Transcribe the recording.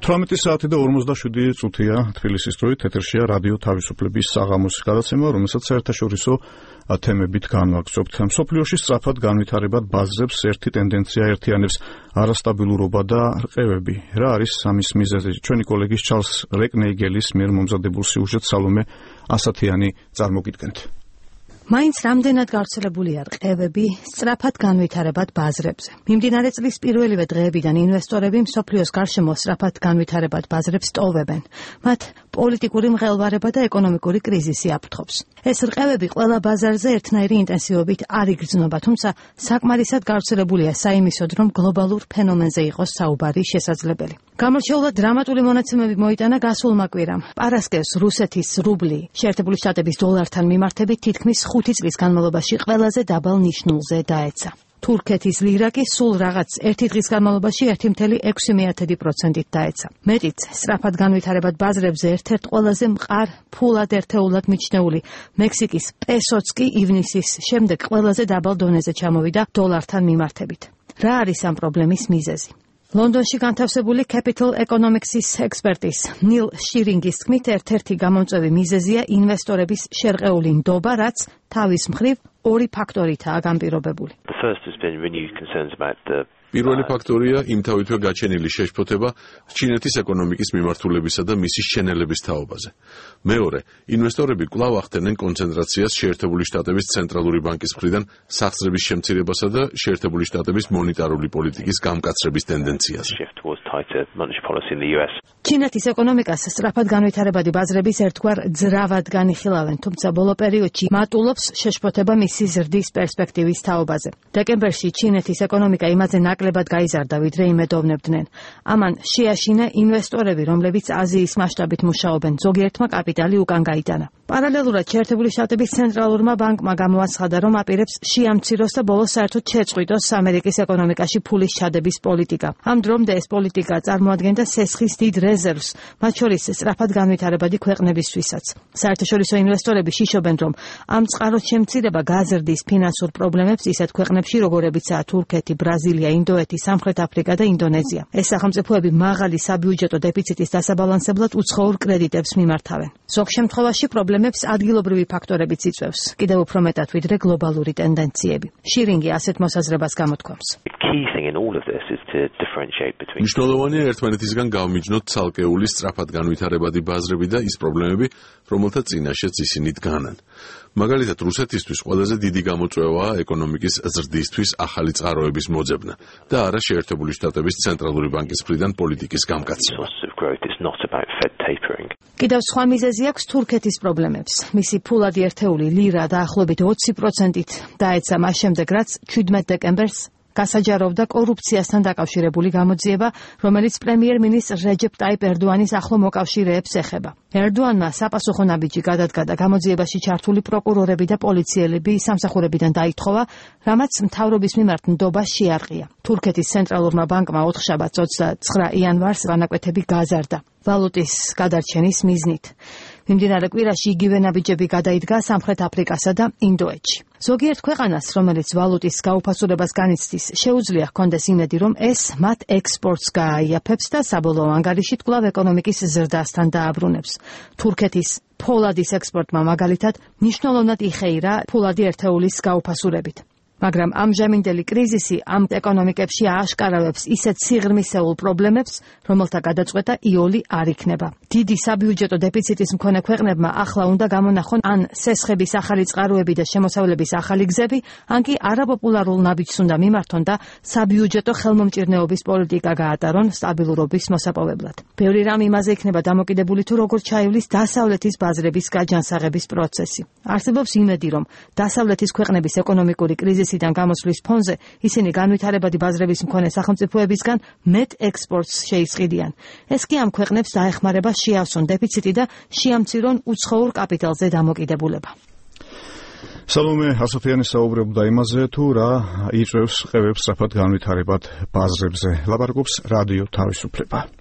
18 საათი და 47 წუთია თბილისის დროით ეთერშია რადიო თავისუფლების საღამოს გადაცემა, რომელსაც საერთაშორისო თემებით განვაგრძობთ. მსოფლიოში სწრაფად განვითარებად ბაზრებს ერთი ტენდენცია ერთიანებს არასტაბილურობა და რყევები. რა არის ამის მიზეზი? ჩვენი კოლეგის ჩარლს რეკნეიგელის მიერ მომზადებულ სიუჟეტს სალომე ასათიანი წარმოგიდგენთ. მაინც რამდენად გავრცელებულია რყევები სწრაფად განვითარებად ბაზრებზე. მიმდინარე წლის პირველივე დღეებიდან ინვესტორები მსოფლიოს გარშემო სწრაფად განვითარებად ბაზრებს ტოვებენ. მათ პოლიტიკური მღელვარება და ეკონომიკური კრიზისი აფრთხობს. ეს რყევები ყველა ბაზარზე ერთნაირი ინტენსივობით არ იგრძნობა, თუმცა საკმარისად გავრცელებულია საიმისოდ, რომ გლობალურ ფენომენზე იყოს საუბარი შესაძლებელი. გამორჩეულად დრამატული მონაცემები მოიტანა გასულმა კვირამ. პარასკევს რუსეთის რუბლი შეერთებული შტატების დოლართან მიმართებით თითქმის 5 წლის განმავლობაში ყველაზე დაბალ ნიშნულზე დაეცა. თურქეთის ლირა კი სულ რაღაც ერთი დღის განმავლობაში 1,6% დაეცა. მეტიც, სწრაფად განვითარებად ბაზრებზე ერთ-ერთ ყველაზე მყარ ფულად ერთეულად მიჩნეული მექსიკის პესოც კი ივნისის შემდეგ ყველაზე დაბალ დონეზე ჩამოვიდა დოლართან მიმართებით. რა არის ამ პრობლემის მიზეზი? ლონდონში განთავსებული Capital Economics-ის ექსპერტის ნილ შირინგის თქმით, ერთ-ერთი გამომწვევი მიზეზია ინვესტორების შერყეული ნდობა, რაც თავის მხრივ ორი ფაქტორითაა განპირობებული. პირველი ფაქტორია იმთავითვე გაჩენილი შეშფოთება ჩინეთის ეკონომიკის მიმართულებისა და მისი შენელების თაობაზე. მეორე, ინვესტორები კვლავ ახდენენ კონცენტრაციას შეერთებული შტატების ცენტრალური ბანკის მხრიდან სახსრების შემცირებასა და შეერთებული შტატების მონეტარული პოლიტიკის გამკაცრების ტენდენციაზე. ჩინეთის ეკონომიკას სწრაფად განვითარებადი ბაზრების ერთგვარ ძრავად განიხილავენ, თუმცა ბოლო პერიოდში მატულობს შეშფოთება მისი ზრდის პერსპექტივის თაობაზე. დეკემბერში ჩინეთის ეკონომიკა იმაზე ნაკლებად გაიზარდა, ვიდრე იმედოვნებდნენ. ამან შეაშინა ინვესტორები, რომლებიც აზიის მასშტაბით მუშაობენ, ზოგიერთმა კაპიტალი უკან გაიტანა. პარალელურად შეერთებული შტატების ცენტრალურმა ბანკმა გამოაცხადა, რომ აპირებს შეამციროს და ბოლოს საერთოდ შეწყვიტოს ამერიკის ეკონომიკაში ფულის ჩადების პოლიტიკა. ამ დრომდე ეს პოლიტიკა წარმოადგენდა სესხის დიდ რეზერვს, მათ შორის სწრაფად განვითარებადი ქვეყნებისთვისაც. საერთაშორისო ინვესტორები შიშობენ, რომ ამ წყაროს შემცირება გაზრდის ფინანსურ პრობლემებს ისეთ ქვეყნებში, როგორებიცაა თურქეთი, ბრაზილია, ინდოეთი, სამხრეთ აფრიკა და ინდონეზია. ეს სახელმწიფოები მაღალი საბიუჯეტო დეფიციტის დასაბალანსებლად უცხოურ კრედიტებს მიმართავენ. ზოგ შემთხვევაში პრობლემებს ადგილობრივი ფაქტორებიც იწვევს, კიდევ უფრო მეტად ვიდრე გლობალური ტენდენციები. შირინგი ასეთ მოსაზრებას გამოთქვამს. მნიშვნელოვანია ერთმანეთისგან გავმიჯნოთ ცალკეული სწრაფად განვითარებადი ბაზრები და ის პრობლემები, რომელთა წინაშეც ისინი დგანან. მაგალითად, რუსეთისთვის ყველაზე დიდი გამოწვევაა ეკონომიკის ზრდისთვის ახალი წყაროების მოძებნა და არა შეერთებული შტატების ცენტრალური ბანკის მხრიდან პოლიტიკის გამკაცრება. კიდევ სხვა მიზეზი აქვს თურქეთის პრობლემებს. მისი ფულადი ერთეული ლირა დაახლოებით 20%-ით დაეცა მას შემდეგ, რაც 17 დეკემბერს გასაჯაროვდა კორუფციასთან დაკავშირებული გამოძიება, რომელიც პრემიერ-მინისტრ რეჯეპ ტაიპ ერდოანის ახლო მოკავშირეებს ეხება. ერდოანმა საპასუხო ნაბიჯი გადადგა და გამოძიებაში ჩართული პროკურორები და პოლიციელები სამსახურებიდან დაითხოვა, რამაც მთავრობის მიმართ ნდობა შეარყია. თურქეთის ცენტრალურმა ბანკმა 4 შაბათს 29 იანვარს ვანაკვეთები გაზარდა ვალუტის გადარჩენის მიზნით. მიმდინარე კვირაში იგივე ნაბიჯები გადაიდგა სამხრეთ აფრიკასა და ინდოეთში. ზოგიერთ ქვეყანას, რომელიც ვალუტის გაუფასურებას განიცდის, შეუძლია ჰქონდეს იმედი, რომ ეს მათ ექსპორტს გააიაფებს და საბოლოო ანგარიშით კვლავ ეკონომიკის ზრდასთან დააბრუნებს. თურქეთის ფოლადის ექსპორტმა მაგალითად მნიშვნელოვნად იხეირა ფულადი ერთეულის გაუფასურებით. მაგრამ ამჟამინდელი კრიზისი ამ ეკონომიკებში ააშკარავებს ისეთ სიღრმისეულ პრობლემებს, რომელთა გადაწყვეტა იოლი არ იქნება. დიდი საბიუჯეტო დეფიციტის მქონე ქვეყნებმა ახლა უნდა გამონახონ ან სესხების ახალი წყაროები და შემოსავლების ახალი გზები, ან კი არაპოპულარულ ნაბიჯს უნდა მიმართონ და საბიუჯეტო ხელმომჭირნეობის პოლიტიკა გაატარონ სტაბილურობის მოსაპოვებლად. ბევრი რამ იმაზე იქნება დამოკიდებული, თუ როგორ ჩაივლის დასავლეთის ბაზრების გაჯანსაღების პროცესი. არსებობს იმედი, რომ დასავლეთის ქვეყნების ეკონომიკური კრიზისიდან გამოსვლის ფონზე ისინი განვითარებადი ბაზრების მქონე სახელმწიფოებისგან მეტ ექსპორტს შეისყიდიან. ეს კი ამ ქვეყნებს დაეხმარება შეავსონ დეფიციტი და შეამცირონ უცხოურ კაპიტალზე დამოკიდებულება. სალომე ასათიანი საუბრობდა იმაზე, თუ რა იწვევს რყევებს სწრაფად განვითარებად ბაზრებზე. ლაპარაკობს რადიო თავისუფლება.